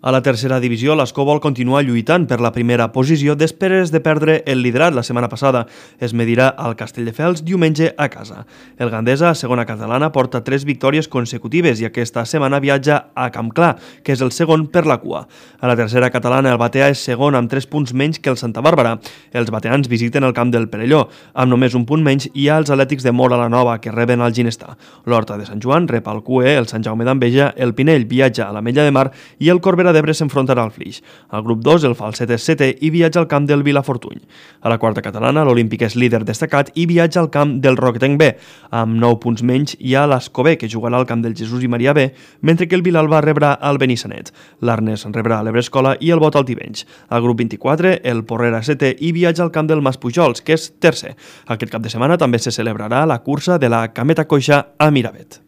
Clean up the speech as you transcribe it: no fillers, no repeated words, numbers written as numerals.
A la tercera divisió, l'Escó vol continuar lluitant per la primera posició després de perdre el liderat la setmana passada. Es medirà al Castelldefels diumenge a casa. El Gandesa, segona catalana, porta 3 victòries consecutives i aquesta setmana viatja a Campclar, que és el segon per la cua. A la tercera catalana, el Batea és segon amb 3 punts menys que el Santa Bàrbara. Els bateans visiten el camp del Perelló. Amb només un punt menys hi ha els Atlètics de Móra la Nova, que reben el Ginestà. L'Horta de Sant Joan rep el CUE, el Sant Jaume d'Enveja, el Pinell viatja a l'Ametlla de Mar i el Corbera d'Ebre s'enfrontarà al Flix. Al grup 2, el Falset és setè i viatja al camp del Vilafortuny. A la quarta catalana, l'Olímpic és líder destacat i viatja al camp del Roquetenc B. Amb 9 punts menys hi ha l'Escobé, que jugarà al camp del Jesús i Maria B, mentre que el Vilalba rebrà el Benissanet. L'Arnes rebrà l'Ebrescola i el Bot al Tivenys. Al grup 24, el Porrera setè i viatja al camp del Maspujols, que és tercer. Aquest cap de setmana també se celebrarà la cursa de la Cameta Coixa a Miravet.